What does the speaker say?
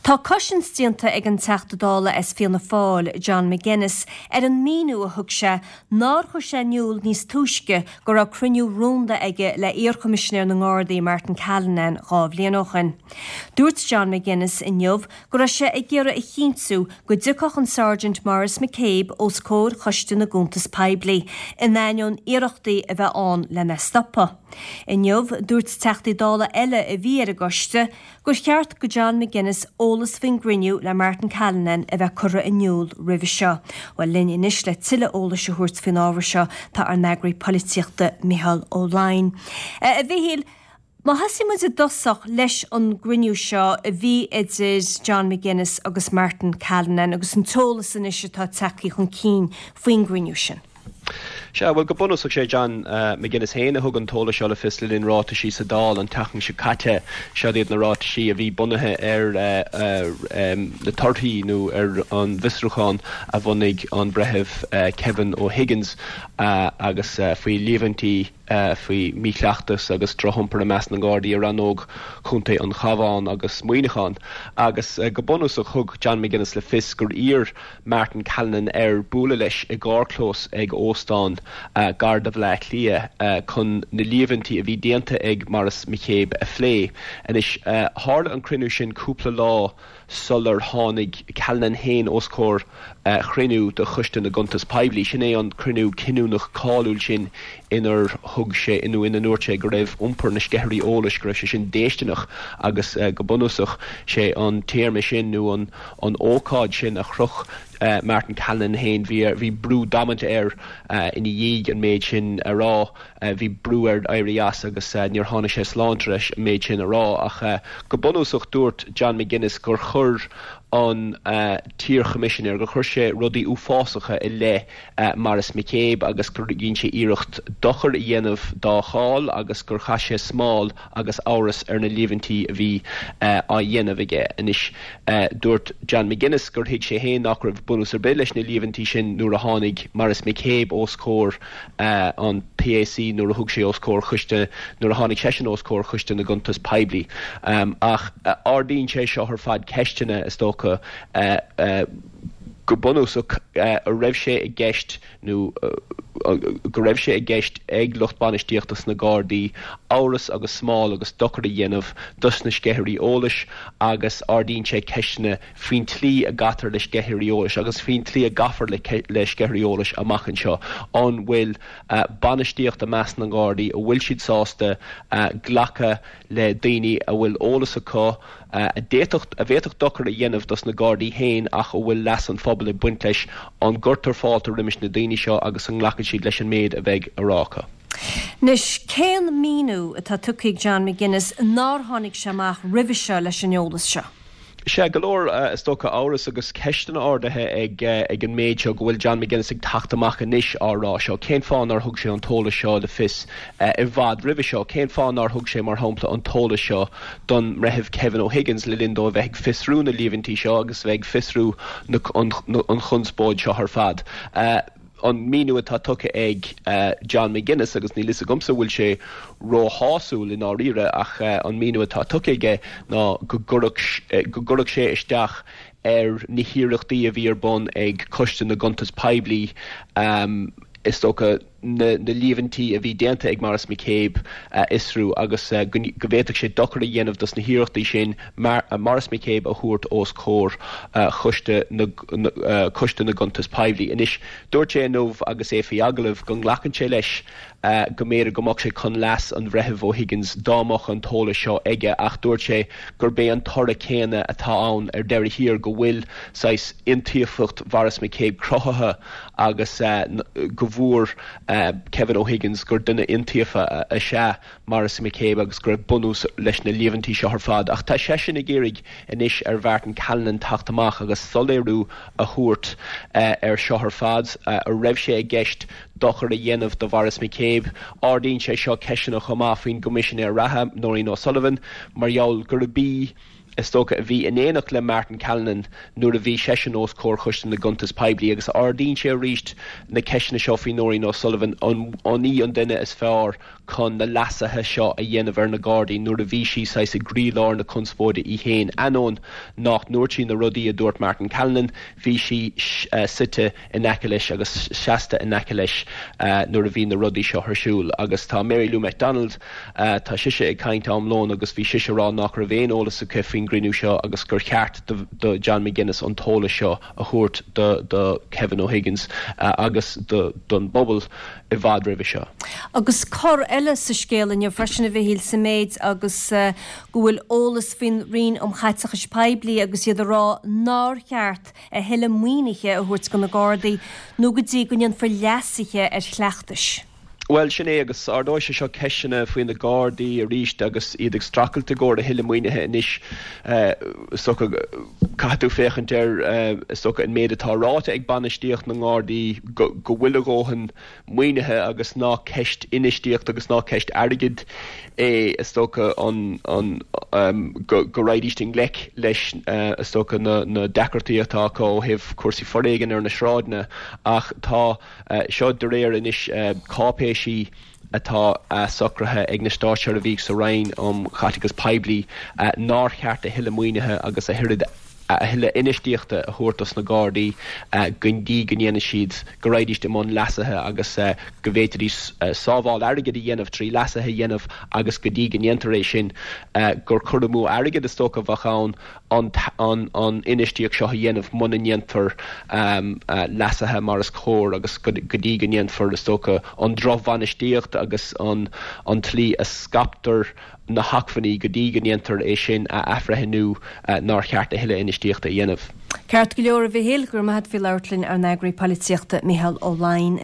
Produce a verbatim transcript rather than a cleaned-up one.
Tá cosaint déanta ag an Teachta Dála as Fianna Fáil, John McGuinness, ar an míniú a thug sé nár chuir sé in iúl níos túisce go raibh cruinniú rúnda aige le iarchoimisinéir na nGardaí Martin Callinan dhá bhliain ó shin. Dúirt John McGuinness inniu go raibh sé ag iarraidh a chinntiú go dtiocfadh an Sergeant Maurice McCabe os comhair Choiste na gCuntas Poiblí, in ainneoin iarrachtaí a bheith ann lena stopadh. Inniu dúirt Teachtaí Dála eile a bhí ar an gcoiste gur cheart do John McGuinness eolas faoin gcruinniú le Martin Callinan a bheith curtha in iúl roimhe seo. Well linn anois le tuilleadh eolais a thabhairt faoin ábhar seo tá ár n-eagraí polaitíochta Micheál Ó Laighin. A Mhichíl, Má thosaíonn muid i dtosach leis an gcruinniú seo a bhí idir John McGuinness agus Martin Callinan agus an t-eolas anois atá tagtha chun cinn faoin gcruinniú sin. Sea, bhuel go bunúsach sé John uh, McGuinness féin a thug an t-eolas seo le fios le linn ráitisí sa Dáil an tseachtain seo caite seo iad na ráitisí a bhí bunaithe ar uh, uh, um, na torthaí nó ar an bhfiosrúchán a bhunaigh an breitheamh uh, Kevin O'Higgins uh, agus uh, faoi líomhaintí uh, faoi mhíchleachtas agus drochiompar i measc na nGardaí i rannóg Chontae an Chabháin agus Muineachán agus uh, go bunúsach thug John McGuinness le fios gur iarr Martin Callinan air bualadh leis i gcarrchlós ag óstán uh, gar do Bhaile Átha Cliath uh, chun na líomhaintí a bhí déanta ag Maurice McCabe a phlé. Anois uh, tharla an cruinniú sin cúpla lá sular tháinig Callinan féin os comhair uh, chruinniú de Choiste na gCuntas Poiblí. Sin é an cruinniú cinniúnach cáiliúil sin inar thug sé inú ina ndúirt sé go raibh iompar na sceithirí eolais go raibh sé sin déistineach agus uh, go bunúsach sé an téarma sin nó an an ócáid sin a chroch uh, Martin Callinan féin bhí bhí brú damanta air uh, ina dhiaidh an méid sin a rá uh, bhí brú air éirí as agus uh, níor tháinig sé slán leis an méid sin a rá ach uh, go bunúsach dúirt John McGuinness gur chuir an uh, t-iarchoimisinéir gur chuir sé rudaí uafásacha i leith uh, Maurice McCabe agus gur dhein sé iarracht dochar a dhéanamh dá cháil agus gur chaith sé smál agus amhras ar na líomhaintí a bhí uh, á dhéanamh aige. Anois uh, dúirt John McGuinness gur thuig sé féin nach raibh bunús ar bith leis na líomhaintí sin nuair a tháinig Maurice McCabe os comhair uh, an PAC nuair a thug sé os comhair choiste nuair a tháinig seisean os comhair Choiste na gCuntas Poiblí. Um, ach uh, ardaíonn sé seo ar fad ceisteanna is dócha uh, uh, go bunúsach uh, a raibh sé i gceist nó uh, go raibh sé i gceist ag lucht bainistíochta sna Gardaí amhras agus smál agus dochar a dhéanamh dos na sceithirí eolais agus ardaíonn sé ceisteanna faoin tslí a gcaitear le sceithirí eolais agus faoin tslí a gcaithfear le, le sceithirí eolais amach anseo an bhfuil uh, bainistíocht i measc na nGardaí a bhfuil siad sásta uh, glacadh le daoine a bhfuil eolas acu uh, a d'fhéadfadh a bhféadfadh dochar a dhéanamh dos na Gardaí féin ach a bhfuil leas an phobail ag baint leis an gcuirtear fáilte roimis na daoine seo agus an nglacann siad leis an méid a bheidh á rá acu. Anois cén míniú atá tugtha ag John McGuinness nár tháinig sé amach roimhe seo leis an eolas seo. Sea go leor uh, is dócha amhras agus ceisteanna ardaithe ag uh, ag an méid seo go bhfuil John McGuinness ag teacht amach anois á rá seo. Cén fáth nár thug sé an t-eolas seo le fios uh, i bhfad roimhe seo, cén fáth nár thug sé mar shampla an t-eolas seo don mbreitheamh Kevin O'Higgins le linn dó bheith ag fiosrú na líomhaintí seo agus bheith ag fiosrú an, an chonspóid seo ar fad. Uh, an míniú atá tugtha ag uh, John McGuinness agus níl a fhios agamsa bhfuil sé róshásúil i ndáiríre ach uh, an míniú atá tugtha aige ná go gcuirfeadh sé isteach ar na hiarrachtaí a bhí ar bun ag Coiste na gCuntas Poiblí um, is dócha na, na líomhaintí a bhí déanta ag Maurice McCabe uh, fhiosrú agus uh, go bhféadfadh sé dochar a dhéanamh dos na hiarrachtaí sin mar, uh, Maurice McCabe a thabhairt os comhair uh, choiste na, na, uh, Coiste na gCuntas Poiblí. Anois dúirt sé inniu agus é faoi agallamh go nglacann sé leis uh, go mb'fhéidir go mbeadh sé chun leas an bhreithimh O'Higgins dá mbeadh an t-eolas seo aige ach dúirt sé gurb é an toradh céanna atá ann ar deireadh thiar go bhfuil saghas iontaofacht Maurice McCabe cruthaithe agus uh, go bhfuair uh, Kevin O'Higgins gur duine iontaofa is ea Maurice McCabe agus go raibh bunús leis na líomhaintí seo ar fad ach tá seisean ag iarraidh anois ar Mhartin Callinan teacht amach agus soiléiriú a thabhairt uh, ar seo ar fad uh, a raibh sé i gceist dochar a dhéanamh do Maurice McCabe ardaíonn sé seo ceisteanna chomh maith faoin gcoimisinéir reatha Nóirín O'Sullivan mar gheall gurb í is dócha, a bhí in éineacht le Martin Callinan nuair a bhí seisean os comhair Choiste na gCuntas Poiblí agus ardaíonn sé arís na ceisteanna seo faoi Nóirín O'Sullivan, an í an duine is fearr chun na leasuithe seo a dhéanamh ar na Gardaí nuair a bhí sí saghas i gcroílár na conspóide í féin. Ainneoin nach ndúirt sí na rudaí a dúirt Martin Callinan, bhí sí suite in aice leis agus seasta in aice leis nuair a bhí na rudaí seo ar siúl. Agus tá Mary Lou McDonald, tá sise ag caint am lóin agus bhí sise ag rá nach raibh aon eolas aici faoin gcruinniú seo agus gur cheart do John McGuinness an t-eolas seo a thabhairt do Kevin O'Higgins agus don bpobal i bhfad roimhe seo. Agus cor eile sa scéal inniu freisin a Mhichíl sa méid agus go bhfuil eolas faoin Roinn um Chaiteachais Poiblí agus iad ag rá nár cheart a thuilleadh maoinithe a thabhairt do na Gardaí nó go dtí go ndéanfar leasuithe ar chleachtais. Bhuel, sin é agus ardóidh sé seo ceisteanna faoi na Gardaí arís agus iad ag streachailt i gcomhair a thuilleadh maoinithe anois. Is dócha, caithfidh tú féachaint ar, is dócha, an méid atá ráite ag bainistíocht na nGardaí go bhfuil a dhóthain maoinithe agus nach ceist infheistíochta agus nach ceist airgid é, is dócha, an, an, go, go raghaidís i ngleic leis, is dócha, na, na deacrachtaí atá acu ó thaobh cúrsaí foréigin ar na sráideanna ach tá Seo de réir anois cáipéisí atá socraithe ag na státseirbhísigh sa Roinn um Chaiteachas Poiblí nár cheart a thuilleadh maoinithe agus a thuilleadh infheistíochta a thabhairt dos na Gardaí go dtí go ndéanfaidh siad, go raghaidís i mbun leasuithe agus go bhféadfaidís sábháil airgid a dhéanamh trí leasuithe a dhéanamh agus go dtí go ndéantar é sin gur cur amú airgid is dócha a bheadh ann. an infheistíocht seo a dhéanamh muna ndéanfar leasuithe mar is cóir agus go dtí go ndéanfar, is dócha, an drochbhainistíocht agus an tslí a scaiptear na hacmhainní, go dtí go ndéantar é sin a athbhreithniú, nár cheart a thuilleadh infheistíochta a dhéanamh. Ceart go leor, a Mhichíl, go raibh maith agat faoi labhairt linn, ár n-eagraí polaitíochta, Micheál Ó Laighin.